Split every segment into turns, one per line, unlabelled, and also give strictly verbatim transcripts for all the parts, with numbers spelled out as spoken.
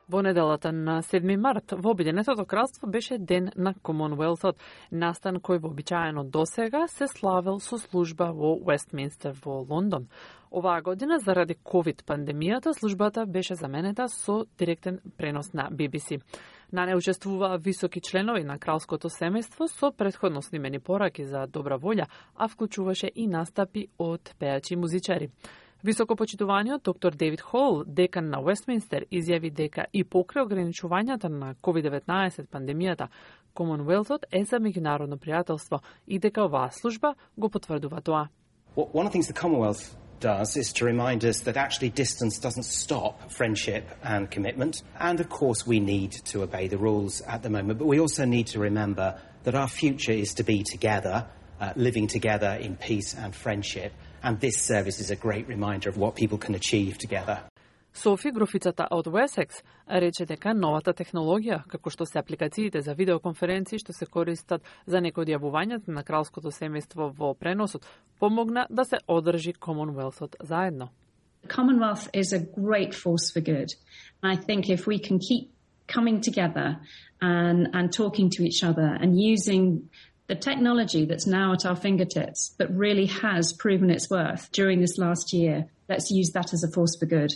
Во неделата на седми март во Обединетото кралство беше ден на Комонвелтот, настан кој вообичаено досега се славел со служба во Уестминстер во Лондон. Оваа година, заради ковид пандемијата, службата беше заменета со директен пренос на Би Би Си. На не учествуваа високи членови на кралското семејство со претходно снимени пораки за добра волја, а вклучуваше и настапи од пејачи и музичари. Високопочитуваниот доктор Дейвид Хол, декан на Уестминстер, изјави дека и покрај ограничувањата на ковид деветнаесет пандемијата, Комонвелтот е за меѓународно пријателство и дека оваа служба го потврдува тоа.
One of the things the Commonwealth does is to remind us that actually distance doesn't stop friendship and commitment. And of course we need to obey the rules at the moment, but we also need to remember that our future is to be together, uh, living together in peace and friendship. And this service is a great reminder of what people can achieve together.
Софи, грофицата од Уесекс, рече дека новата технологија, како што се апликациите за видеоконференции што се користат за некои од јавувањата на кралското семејство во преносот, помогна да се одржи Комонвелтот заедно.
Commonwealth is a great force for good. I think if we can keep coming together and and talking to each other and using the technology that's now at our fingertips but really has proven its worth during this last year, let's use that as a force for good.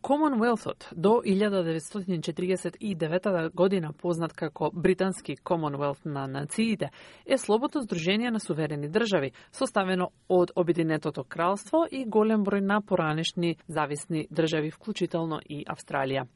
Комонвелтот до илјада деветстотини четиридесет и девета година, познат како Британски Комонвелт на нациите, е слободно здружение на суверени држави, составено од Обединетото кралство и голем број на поранешни зависни држави, вклучително и Австралија.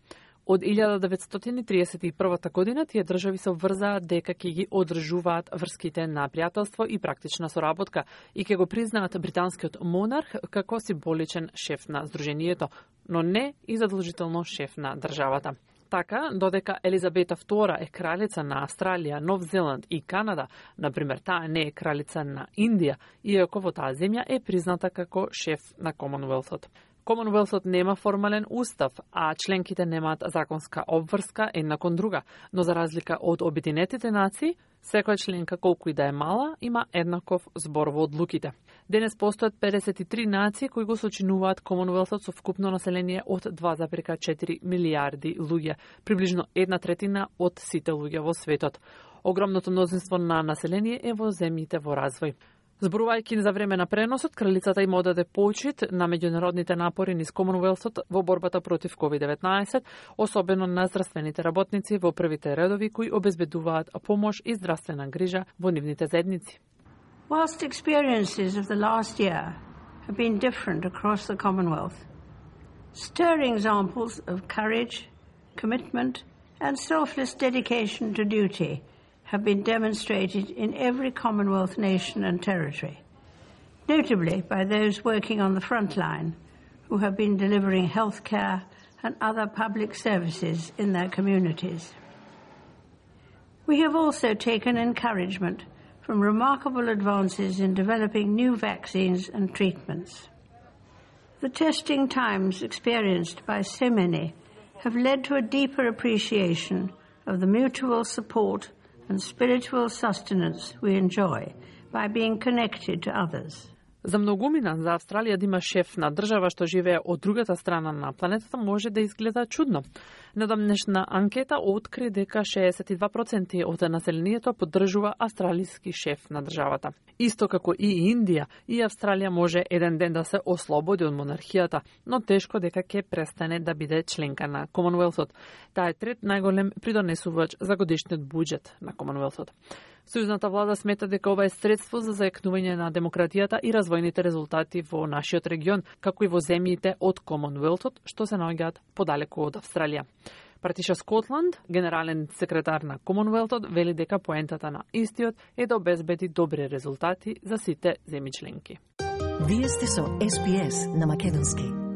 Од илјада деветстотини триесет и прва година тие држави се обврзаат дека ќе ги одржуваат врските на пријателство и практична соработка и ќе го признаат британскиот монарх како символичен шеф на здружението, но не и задолжително шеф на државата. Така, додека Елизабета втора е кралица на Австралија, Нов Зеланд и Канада, например, таа не е кралица на Индија, иако во таа земја е призната како шеф на Комонвелтот. Комонвелтот нема формален устав, а членките немаат законска обврска една кон друга, но за разлика од Обединетите нации, секоја членка, колку и да е мала, има еднаков збор во одлуките. Денес постојат педесет и три нации кои го сочинуваат Комонвелтот со вкупно население од два зарез и четири милијарди луѓе, приближно една третина од сите луѓе во светот. Огромното мнозинство на население е во земјите во развој. Зборувајќи за време на преносот, кралицата им одаде почит на меѓународните напори низ Комонвелтот во борбата против ковид деветнаесет, особено на здравствените работници во првите редови кои обезбедуваат помош и здравствена грижа во нивните заедници.
Whilst experiences of the last year have been different across the Commonwealth, stirring examples of courage, commitment and selfless dedication to duty have been demonstrated in every Commonwealth nation and territory, notably by those working on the front line who have been delivering healthcare and other public services in their communities. We have also taken encouragement from remarkable advances in developing new vaccines and treatments. The testing times experienced by so many have led to a deeper appreciation of the mutual support and spiritual sustenance we enjoy by being connected to others.
За многумина за Австралија да има шеф на држава што живее од другата страна на планетата може да изгледа чудно. Недавнешна анкета откри дека шеесет и два проценти од населението поддржува австралиски шеф на државата. Исто како и Индија, и Австралија може еден ден да се ослободи од монархијата, но тешко дека ќе престане да биде членка на Комонвелтот. Таа е трет најголем придонесувач за годишниот буџет на Комонвелтот. Сојузната влада смета дека ова е средство за зајакнување на демократијата и развојните резултати во нашиот регион, како и во земјите од Комонвелтот, што се наоѓаат подалеку од Австралија. Партиша Скотланд, генерален секретар на Комонвелтот, вели дека поентата на истиот е да обезбеди добри резултати за сите земји членки.
Вие сте со Ес Би Ес на македонски.